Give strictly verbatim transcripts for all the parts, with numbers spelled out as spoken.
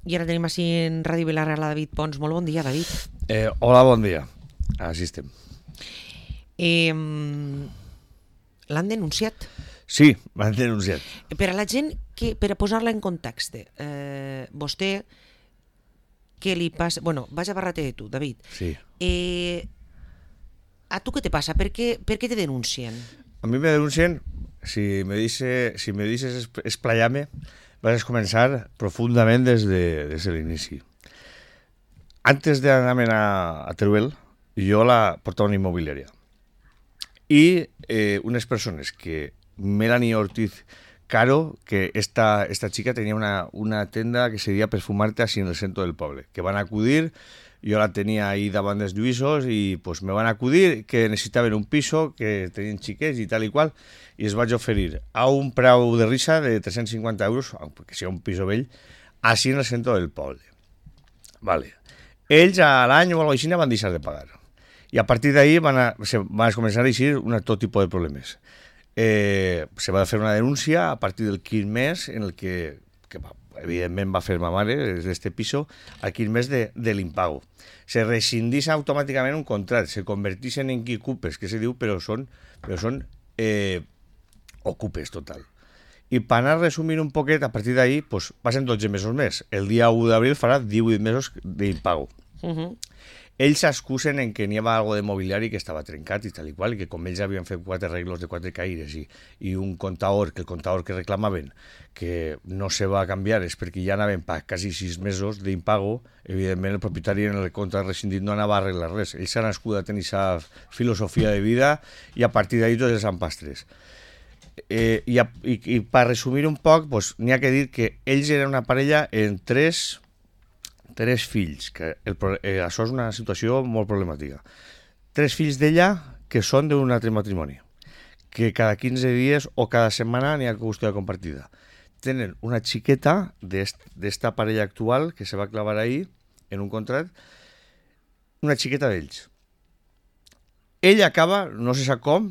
I ara tenim així en Ràdio Vilareal a David Pons. Molt bon dia, David. Eh, hola, bon dia. Així estem. Eh, L'han denunciat. Sí, m'han denunciat. Per a la gent, que, per a posar-la en context, eh, vostè, què li passa... Bueno, vaig a barrate de tu, David. Sí. Eh, a tu què te passa? Per què, per què te denuncien? A mi me denuncien, si me, dice, si me dices explayarme, vas a comenzar profundament des de, des de l'inici. Antes de anar a, a Teruel, jo la portava una immobiliària. I eh, unes persones que Melanie Ortiz Caro, que esta, esta chica tenía una, una tenda que se deia Perfumarte así en el centro del poble, que van a acudir, yo la tenía ahí davant dels lluïsos i pues, me van a acudir que necessitaven un piso, que tenien xiquets i tal i qual, i es vaig oferir a un preu de risa de tres-cents cinquanta euros, que sigui un piso vell, així en el centre del poble. Vale. Ells a l'any o a l'oficina van deixar de pagar. I a partir d'ahí van, a, se, van a començar a eixir un tot tipus de problemes. Eh, se va fer una denúncia a partir del quinze mes en el que, que va, evidentment va fer ma mare d'este piso al quinze mes de, de l'impago. Se rescindís automàticament un contracte, se convertixen en quicupes, que se diu, però són, però són eh, ocupes total. I per anar resumint un poquet, a partir d'ahí, pues, passen dotze mesos més. El dia u d'abril farà divuit mesos d'impago. Uh-huh. Ells s'excusen en que n'hi havia algo de mobiliari que estava trencat i tal i qual, i que com ells havien fet quatre arreglos de quatre caires i, i un comptador, que el comptador que reclamaven que no se va canviar és perquè ja anaven per quasi sis mesos d'impago, evidentment el propietari en el compte rescindit no anava a arreglar res. Ells s'han nascut a tenir aquesta filosofia de vida i a partir d'ahí tots els empastres. Eh, i, a, i, i per resumir un poc, pues, n'hi ha que dir que ells eren una parella en tres... tres fills, que el, eh, això és una situació molt problemàtica. Tres fills d'ella que són d'un altre matrimoni, que cada quinze dies o cada setmana n'hi ha custòdia compartida. Tenen una xiqueta d'esta parella actual que se va clavar ahí en un contract, una xiqueta d'ells. Ella acaba, no se sap com,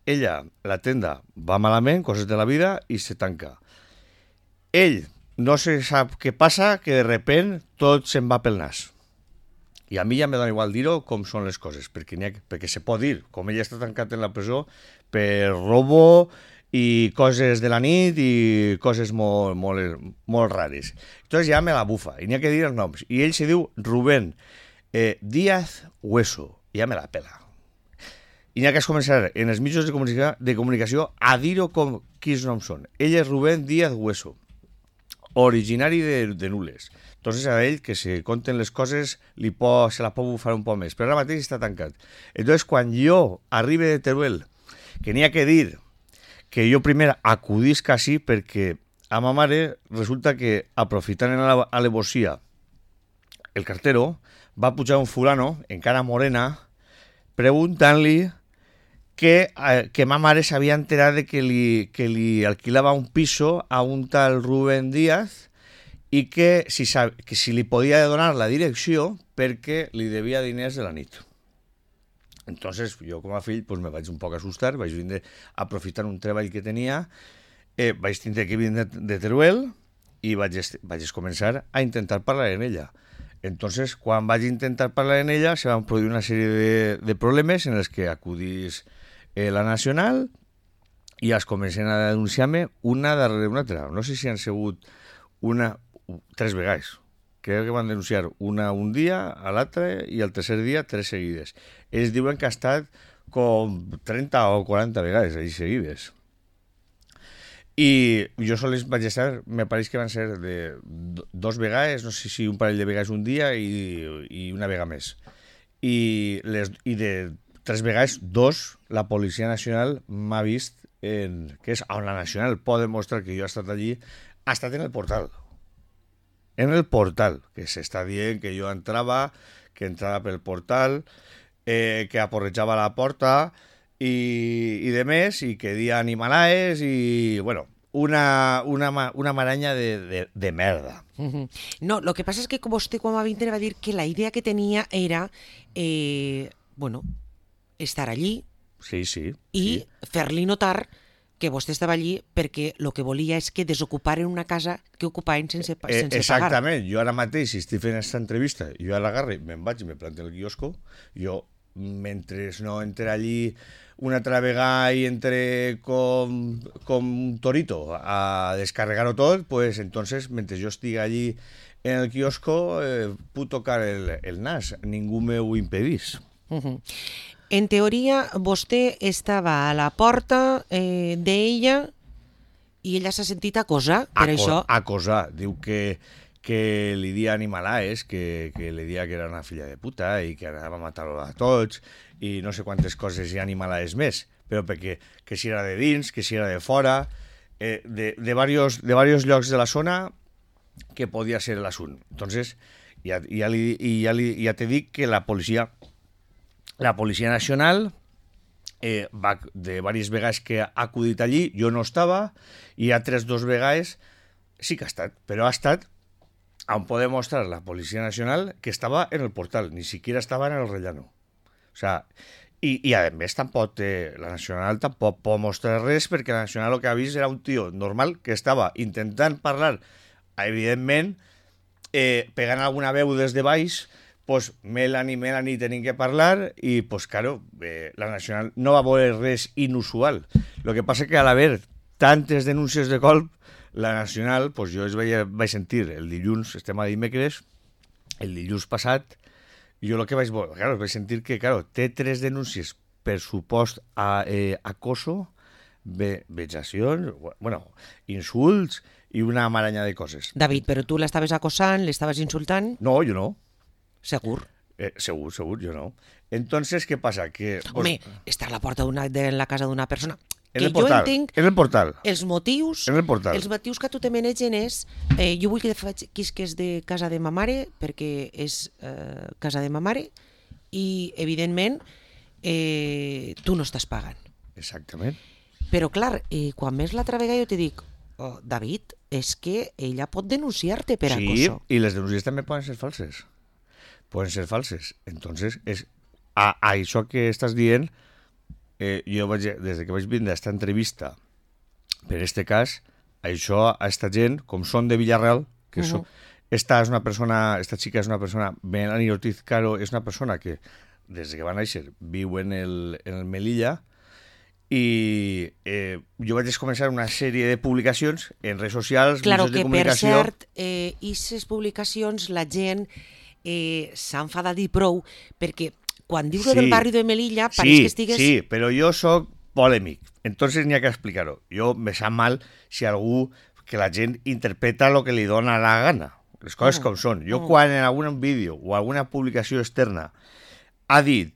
ella, la tenda, va malament, coses de la vida, i se tanca. Ell no se sap què passa, que de repent tot se'n va pel nas. I a mi ja me dona igual dir-ho com són les coses, perquè, ha, perquè se pot dir, com ella està tancat en la presó, per robo i coses de la nit i coses molt, molt, molt rares. Entonces ja me la bufa, i n'hi ha que dir els noms. I ell se diu Rubén eh, Díaz Hueso, i ja me la pela. I n'hi ha que començar en els mitjans de comunicació, de comunicació a dir-ho com quins noms són. Ell és Rubén Díaz Hueso, originari de, de Nules. Entonces a ell que se conten les coses li pot, se la pot bufar un poc més, però ara mateix està tancat. Entonces quan jo arribe de Teruel, que n'hi ha que dir que jo primer acudisc així perquè a ma mare resulta que aprofitant en la alevosia el cartero va pujar un fulano, encara morena, preguntant-li que, eh, que ma mare s'havia enterat de que li, que li alquilava un piso a un tal Rubén Díaz i que si, que si li podia donar la direcció perquè li devia diners de la nit. Entonces, jo com a fill pues, me vaig un poc assustar, vaig vindre aprofitant un treball que tenia, eh, vaig tindre que vindre de Teruel i vaig, vaig començar a intentar parlar amb ella. Entonces, quan vaig intentar parlar amb ella, se van produir una sèrie de, de problemes en els que acudís Eh, la Nacional i es comencen a denunciar-me una darrere una altra. No sé si han sigut una, tres vegades. Crec que van denunciar una un dia, a l'altre i el tercer dia tres seguides. Ells diuen que ha estat com trenta o quaranta vegades ahí seguides. I jo sols vaig estar, me pareix que van ser de dos vegades, no sé si un parell de vegades un dia i, i una vegada més. I, les, i de tres vegades, dos, la Policia Nacional m'ha vist, en, que és on la Nacional pot demostrar que jo he estat allí, ha estat en el portal. En el portal, que s'està dient que jo entrava, que entrava pel portal, eh, que aporrejava la porta i, i de més, i que dia animalaes i, bueno, una, una, una maraña de, de, de merda. Uh-huh. No, lo que passa és que vostè quan va vindre va dir que la idea que tenia era, eh, bueno, estar allí sí, sí, i sí. fer-li notar que vostè estava allí perquè el que volia és que desocuparen una casa que ocupaven sense, Eh, sense exactament, jo ara mateix, si estic fent aquesta entrevista, jo a l'agarre, me'n vaig i me planto en el quiosco, jo, mentre no entre allí una altra vegada i entre com, com un torito a descarregar-ho tot, pues entonces, mentre jo estic allí en el quiosco, eh, puc tocar el, el nas, ningú m'ho impedís. pagar. Uh -huh. En teoria, vostè estava a la porta eh, d'ella i ella s'ha sentit acosar per Aco això. Acosar, diu que, que li dia animalaes, que, que li dia que era una filla de puta i que anava a matar-lo a tots i no sé quantes coses i animalaes més, però perquè que si era de dins, que si era de fora, eh, de, de, varios, de varios llocs de la zona que podia ser l'assunt. Entonces, ja, ja, li, i ja, li, ja te dic que la policia la Policia Nacional eh, va, de diverses vegades que ha acudit allí, jo no estava, i altres dos vegades sí que ha estat, però ha estat on pot mostrar la Policia Nacional que estava en el portal, ni siquiera estava en el rellano. O sea, i, i a més tampoc eh, la Nacional tampoc pot mostrar res perquè la Nacional el que ha vist era un tio normal que estava intentant parlar, evidentment, eh, pegant alguna veu des de baix, pues Melanie, Melanie tenim que parlar i, pues claro, eh, la Nacional no va veure res inusual. Lo que passa que al haver tantes denúncies de colp, la Nacional, pues jo es vaig, vaig sentir el dilluns, estem a dimecres, el dilluns passat, jo el que vaig veure, claro, vaig sentir que, claro, té tres denúncies per supost a, eh, acoso, ve, vexacions, bueno, insults i una maranya de coses. David, però tu l'estaves acosant, l'estaves insultant? No, jo no. Segur. Eh, segur, segur, yo no. Entonces, ¿qué pasa? Que, pues, Home, estar a la porta d'una de la casa d'una persona... En que el portal, jo entenc en el portal. Els motius, En el portal. els motius que a tu te manegen és... Eh, jo vull que quisques de casa de ma mare, perquè és eh, casa de ma mare, i, evidentment, eh, tu no estàs pagant. Exactament. Però, clar, eh, quan més l'altra vegada jo te dic, oh, David, és que ella pot denunciar-te per Sí, acoso. y las denuncias también pueden ser falses. Pueden ser falses. Entonces, es a, a això que estàs dient, eh, jo vaig, des que vaig vindre a esta entrevista, per este cas, això a esta gent, com són de Villarreal, que uh -huh. so, esta és una persona, esta xica és una persona, Melanie Ortiz Caro, és una persona que, des que va néixer, viu en el, en el Melilla, i eh, jo vaig començar una sèrie de publicacions en redes socials, Claro, mitjans de que per comunicació. cert, eh, aquestes publicacions la gent eh, s'ha enfadat i prou, perquè quan dius Sí. del barri de Melilla pareix Sí, que estigues... sí, però jo sóc polèmic, entonces n'hi ha que explicar-ho. Jo me sap mal si algú, que la gent interpreta lo que li dona la gana, les coses Mm. com són. Jo Mm. quan en algun vídeo o alguna publicació externa ha dit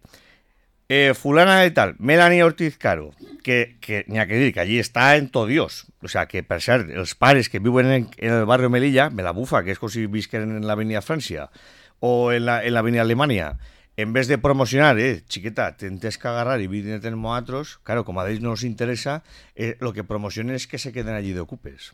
eh, fulana de tal, Melanie Ortiz Caro, que, que n'hi ha que dir que allí està en tot Dios. O sea, que per cert, els pares que viuen en, en el barri Melilla, me la bufa, que és com si visquen en l'avenida Frància o en la, en l'avenida Alemanya, en vez de promocionar, eh, chiqueta, tentes que agarrar y vínete en nosotros, claro, como a ellos no nos interesa, eh, lo que promocionen es que se queden allí de ocupes.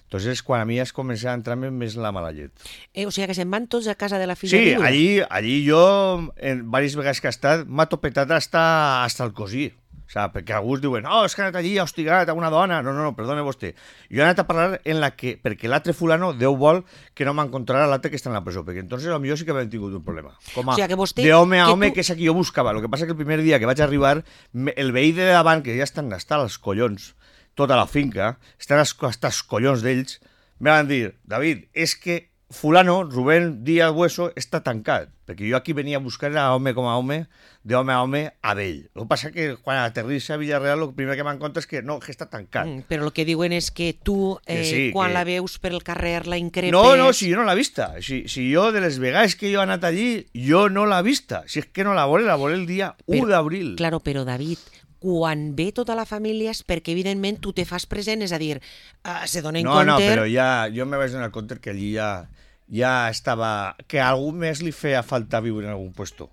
Entonces, quan a mi es comença a entrar-me més la mala llet. Eh, o sigui que se'n van tots a casa de la filla Sí, viuda. allí, allí jo, en diverses vegades que he estat, m'ha topetat hasta, hasta el cosí. O sea, perquè alguns diuen, oh, és que ha anat allí, ha hostigat a una dona. No, no, no, perdone vostè. Jo he anat a parlar en la que, perquè l'altre fulano, Déu vol que no m'encontrarà l'altre que està en la presó, perquè entonces a millor sí que hem tingut un problema. Com a O sigui que vostè- de home a que home, tu- que és el que jo buscava. El que passa que el primer dia que vaig arribar, me- el veí de davant, que ja estan hasta els collons, tota la finca, estan hasta els collons d'ells, me van dir, David, és que fulano, Rubén Díaz Hueso, està tancat, perquè jo aquí venia a buscar a home com a home, de home a home a vell. El que passa que quan aterrissa a Villarreal, el primer que m'han contat és que no, que està tancat. Mm, però el que diuen és que tu, eh, Que sí, quan que- la veus per el carrer, la increpes... No, no, si jo no l'he vista. Si, si jo, de les vegades que jo he anat allí, jo no l'he vista. Si és que no la veuré, la veuré el dia Però- u d'abril. Claro, però David, quan ve tota la família és perquè evidentment tu te fas present, és a dir, uh, se dona en No, compte... no, però ja, jo me vaig donar compte que allí ja, ja estava... Que a algú més li feia falta viure en algun puesto.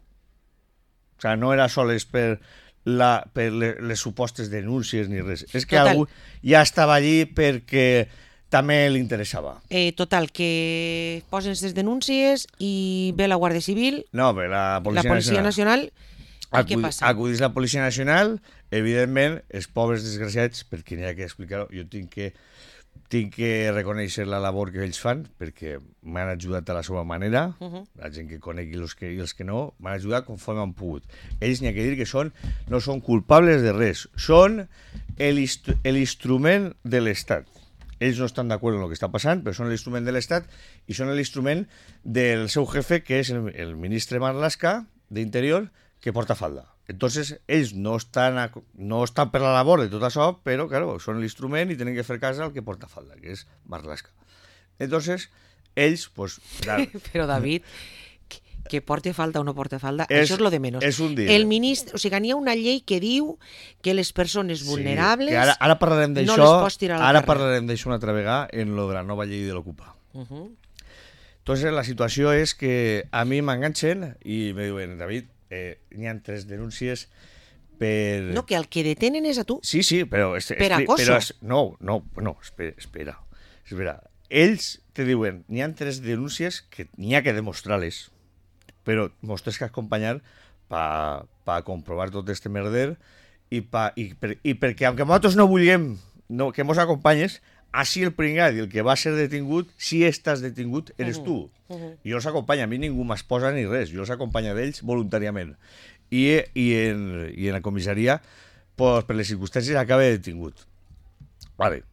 O sea, no era sols per, la, per le- les supostes denúncies ni res. És que Total. algú ja estava allí perquè també li interessava. Eh, total, que posen aquestes denúncies i ve la Guàrdia Civil, No, però la Policia, la Policia Nacional... Nacional, I què passa? Acudís la Policia Nacional, evidentment, els pobres desgraciats, perquè n'hi ha que explicar-ho, jo tinc que, tinc que reconèixer la labor que ells fan, perquè m'han ajudat a la seva manera, uh -huh. la gent que conegui els que, i els que no, m'han ajudat conforme han pogut. Ells n'hi ha que dir que són, no són culpables de res, són l'instrument de l'Estat. Ells no estan d'acord amb el que està passant, però són l'instrument de l'Estat i són l'instrument del seu jefe, que és el, el ministre Marlaska d'Interior, que porta falda. Entonces, ells no estan, a, no estan per la labor de tot això, però, claro, són l'instrument i tenen que fer cas al que porta falda, que és Marlaska. Entonces, ells, pues... La... Però, David, que, que porte falda o no porte falda, és, això és lo de menys. És un dia. El ministre, o sigui, n'hi ha una llei que diu que les persones vulnerables sí, ara, ara parlarem no les pots tirar a la Ara carrer. parlarem d'això una altra vegada en lo de la nova llei de l'Ocupa. Uh -huh. Entonces, la situació és que a mi m'enganxen i me diuen, David, eh, n'hi ha tres denúncies per... No, que el que detenen és a tu. Sí, sí, però... Es, per es, acoso. Però es, no, no, no, espera, espera. espera. Ells te diuen, n'hi ha tres denúncies que n'hi ha que demostrar-les, però mos tens que acompanyar per pa comprovar tot este merder i, pa, i, per, i perquè, aunque nosaltres no vulguem no, que mos acompanyes, així el pringat i el que va ser detingut, si estàs detingut, eres uh -huh. tu. Uh -huh. I jo els acompanyo, a mi ningú m'esposa ni res, jo els acompanyo d'ells voluntàriament. I, i, en, i en la comissaria, pues, per les circumstàncies, acaba detingut. Vale.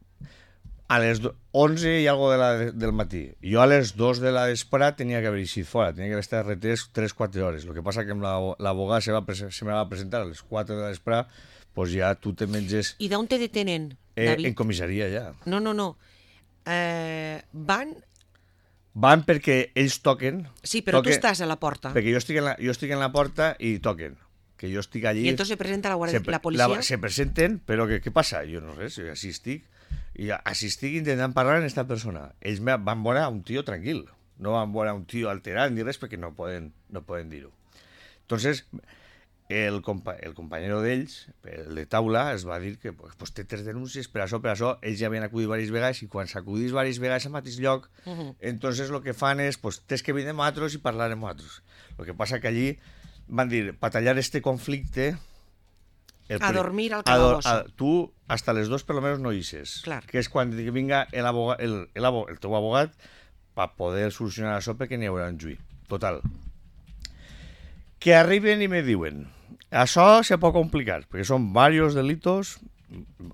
A les onze i algo de la, del matí. Jo a les dos de la vesprada tenia que haver eixit fora, tenia que haver estat retès tres quatre hores. Lo que passa que l'abogada se, va, se me va presentar a les quatre de la vesprada, pues ja tu te menges... I d'on te detenen, eh, David? En comissaria, ja. No, no, no. Eh, van... Van perquè ells toquen... Sí, però toquen, tu estàs a la porta. Perquè jo estic, en la, jo estic en la porta i toquen. Que jo estic allí... I entonces se presenta la, guardia, se, la policia? La, se presenten, però que, què passa? Jo no res, així estic. I així estic intentant parlar amb aquesta persona. Ells me van veure un tio tranquil. No van veure un tio alterat ni res perquè no poden, no poden dir-ho. Entonces... El, compa el companyero d'ells, el de taula, es va dir que pues, pues, té tres denúncies per això, per això, ells ja havien acudit diverses vegades i quan s'acudís diverses vegades al mateix lloc, uh -huh. entonces el que fan és, pues, tens que venir amb nosaltres i parlar amb nosaltres. El que passa que allí van dir, per tallar este conflicte... El, a dormir al calabozo. Tu, hasta les dos per lo menos no ixes. Clar. Que és quan vinga el, abogat, el, el, el teu abogat per poder solucionar això perquè n'hi haurà un juí. Total. Que arriben i me diuen... Això se pot complicar, perquè són diversos delitos,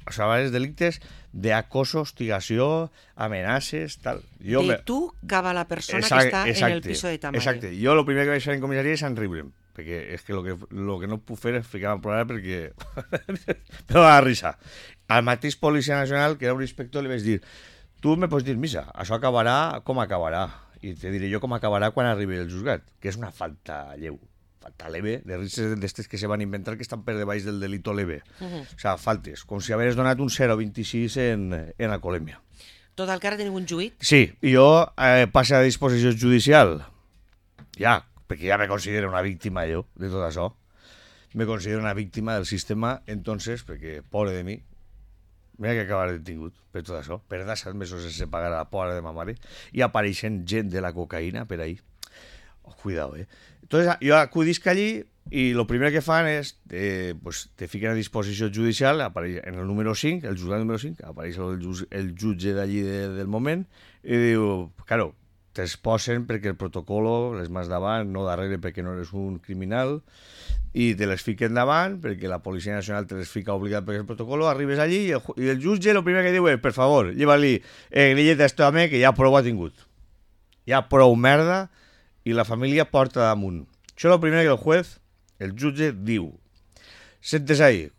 o sea, diversos delictes d'acoso, hostigació, amenaces, tal. Jo de me... tu cap a la persona exacte, que està exacte, en el piso de Tamayo. Exacte. Jo el primer que vaig fer en comissaria és enriure'm, perquè és que el que, lo que no puc fer és ficar-me a plorar perquè me va risa. Al mateix Policia Nacional, que era un inspector, li vaig dir, tu me pots dir, missa, això acabarà com acabarà, i te diré jo com acabarà quan arribi el juzgat, que és una falta lleu. Falta leve, de risques d'estes que se van inventar que estan per debaix del delito leve. Uh -huh. O sea, faltes, com si hagués donat un zero coma vint-i-sis en, en alcoholèmia. Tot el que ara teniu un juït? Sí, i jo eh, passo a disposició judicial. Ja, perquè ja me considero una víctima jo de tot això. Me considero una víctima del sistema, entonces, perquè, pobre de mi, m'he que acabar detingut per tot això, per dar set mesos sense pagar a la pobra de ma mare, i apareixent gent de la cocaïna per ahí. Oh, cuidado, eh. Entonces, jo acudisc allí i el primer que fan és, eh, pues, te fiquen a disposició judicial, apareix en el número cinc, el juzgat número cinc, apareix el, el jutge d'allí de, del moment, i diu, claro, t'exposen perquè el protocolo, les mans davant, no darrere perquè no eres un criminal, i te les fiquen davant perquè la Policia Nacional te les fica obligat perquè el protocolo, arribes allí i el, i el jutge el primer que diu és, per favor, lleva-li eh, grilleta a este home que ja prou ha tingut. Ja prou merda, i la família porta damunt. Això és el primer que el juez, el jutge, diu. Sentes ahí.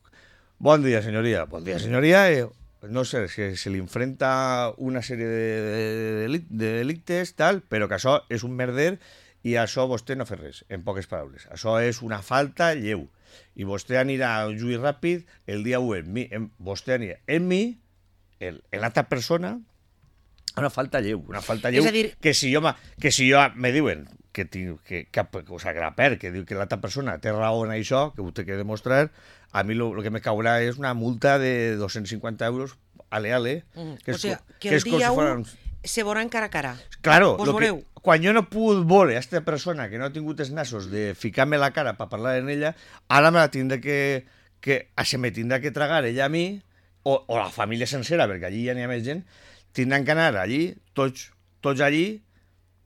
Bon dia, senyoria. Bon dia, senyoria. Eh, no sé, que se li enfrenta una sèrie de, de, de delictes, tal, però que això és un merder i això vostè no fa res, en poques paraules. Això és una falta lleu. I vostè anirà a un juí ràpid el dia u en mi. En, vostè anirà en mi, en, en l'altra persona, una falta lleu, una falta lleu, dir... que si jo, que si jo me diuen que, tinc, que, que, o sea, que la per, que diu que l'altra persona té raó en això, que ho té que demostrar, a mi el que me caurà és una multa de dos-cents cinquanta euros ale ale, mm. que és, o sea, que que el és com dia si u fueran... se veuran cara a cara. Claro, Vos lo que, veureu. quan jo no he pogut veure a aquesta persona que no ha tingut els nassos de ficar-me la cara per parlar en ella, ara me la tindrà que, que se me tindrà que tragar ella a mi, o, o la família sencera, perquè allí ja n'hi ha més gent, tindran que anar allí, tots, tots allí,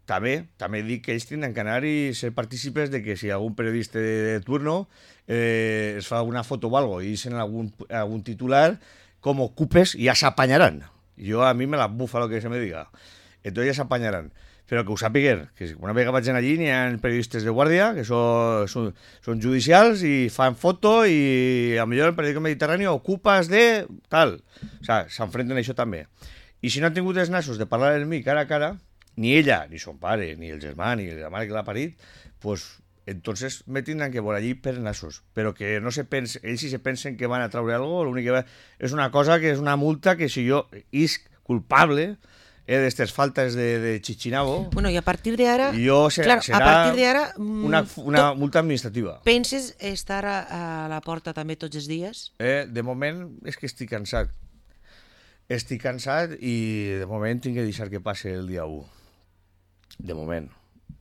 també, també dic que ells tindran que anar i ser partícipes de que si algun periodista de, de turno eh, es fa alguna foto o algo i dicen algun, algun titular, com ocupes, ja s'apanyaran. Jo a mi me la bufa lo que se me diga. Entonces ja s'apanyaran. Però que ho sàpiguer, que una vegada vaig allí n'hi ha periodistes de guàrdia que són, són, són judicials i fan foto i a millor el periòdico Mediterrani ocupes de tal. O sea, s'enfrenten a això també. I si no han tingut els nassos de parlar amb mi cara a cara, ni ella, ni son pare, ni el germà, ni la mare que l'ha parit, pues entonces me tindran que veure allí per nassos. Però que no se pense, ells si se pensen que van a traure algo, l'únic que va, és una cosa que és una multa que si jo isc culpable eh, d'estes faltes de, de chichinabo, Bueno, i a partir de ara... jo se, Claro, serà a partir de ara... mm, una, una to- multa administrativa. Penses estar a, a la porta també tots els dies? Eh, de moment és que estic cansat. Estic cansat i de moment tinc que deixar que passe el dia u. De moment.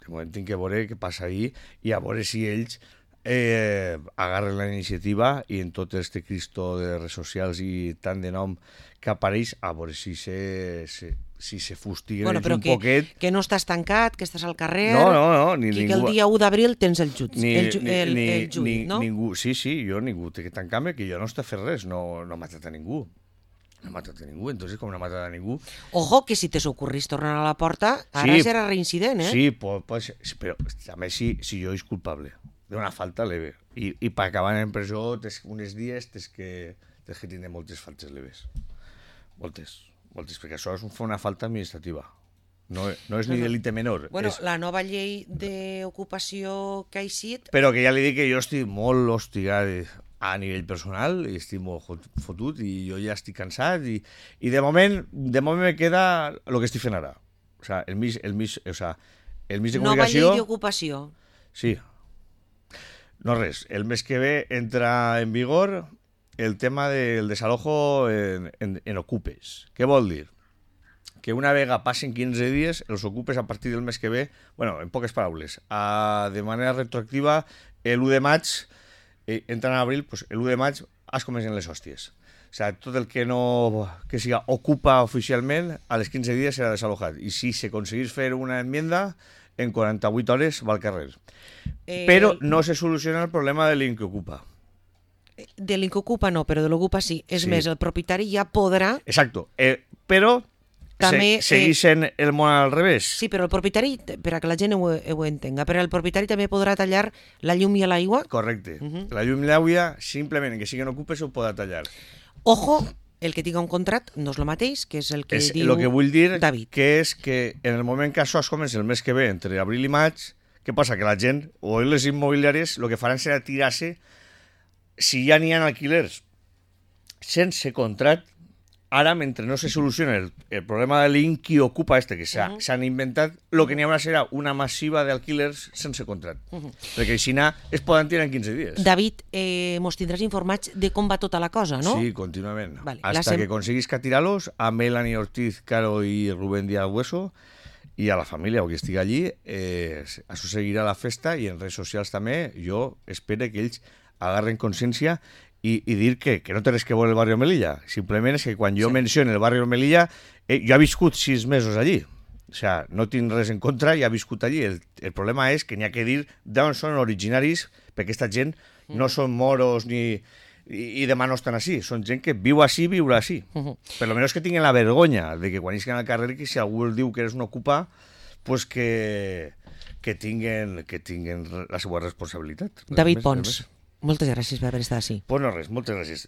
De moment tinc que veure què passa ahir i a veure si ells eh, agarren la iniciativa i en tot este cristo de redes socials i tant de nom que apareix, a veure si se, se, si se fustiguen Bueno, ells però un que, poquet. que no estàs tancat, que estàs al carrer... No, no, no, ni i que ningú... el dia u d'abril tens el judici. Ni, el, ju, ni, el, ni, el judici, ni, no? Ningú, sí, sí, jo ningú té que tancar-me, que jo no està fent res, no, no ha matat a ningú. No ha matat a ningú, entonces com no ha matat a ningú... Ojo, que si te s'ocorrís tornar a la porta, ara Sí, serà reincident, eh? Sí, pot, pot ser, sí, però també si, si jo és culpable d'una falta leve. I, i per acabar en presó tes, uns dies tens que, tens que tindre moltes faltes leves. Moltes, moltes, perquè això és una falta administrativa. No, no és ni delicte menor. Bueno, és... la nova llei d'ocupació que ha eixit... Però que ja li dic que jo estic molt hostigat a nivell personal, i estic molt fotut, i jo ja estic cansat, i, i de moment de moment me queda el que estic fent ara. O sea, el mig, el mig, o sea, el mig de Nova llei comunicació... d'ocupació. Sí. No res, el mes que ve entra en vigor el tema del desalojo en, en, en ocupes. Què vol dir? Que una vegada passen quinze dies, els ocupes a partir del mes que ve, bueno, en poques paraules, a, de manera retroactiva, l'u de maig, eh, entran a abril, pues, l'u de maig es comencen les hòsties. O sea, tot el que no que siga ocupa oficialment, a les quinze dies serà desalojat. I si s'aconseguís fer una enmienda, en quaranta-vuit hores va al carrer. Eh, Però no se soluciona el problema de l'inquiocupa. De l'incocupa no, però de l'ocupa sí. És Sí. més, el propietari ja podrà... Exacto. Eh, però També, se, seguís sent el món al revés. Sí, però el propietari, per a que la gent ho, ho entenga, però el propietari també podrà tallar la llum i l'aigua. Correcte. Uh -huh. La llum i l'aigua, simplement que siguin ocupes, ho podrà tallar. Ojo, el que tinga un contracte no és el mateix, que és el que És diu el que vull dir, David. que és que en el moment que això es comença el mes que ve, entre abril i maig, què passa? Que la gent, o les immobiliàries, el que faran serà tirar-se, si ja n'hi ha alquilers sense contract, ara, mentre no se soluciona el, el problema de l'inqui ocupa este, que s'han uh -huh. inventat, el que n'hi haurà serà una massiva d'alquilers sense contract. Uh -huh. Perquè així es poden tirar en quinze dies. David, eh, mos tindràs informats de com va tota la cosa, no? Sí, contínuament. Vale, Hasta la sem- que consiguis tirar-los a Melanie Ortiz, Caro i Rubén Díaz Hueso i a la família o que estigui allí, eh, això seguirà la festa i en redes socials també. Jo espero que ells agarren consciència i, i dir que, que no té res que veure el barri Melilla. Simplement és que quan jo Sí. menciono el barri Melilla, eh, jo he viscut sis mesos allí. O sea, no tinc res en contra i he viscut allí. El, el problema és que n'hi ha que dir d'on són originaris, perquè aquesta gent no són moros ni... i, i demà no estan així. Són gent que viu així, viurà així. Uh -huh. Per lo menos que tinguin la vergonya de que quan isquen al carrer, que si algú el diu que eres un ocupa, pues que, que, tinguen, que tinguen la seva responsabilitat. David Res més, Pons, res més. moltes gràcies per haver estat així. Pues no res, moltes gràcies.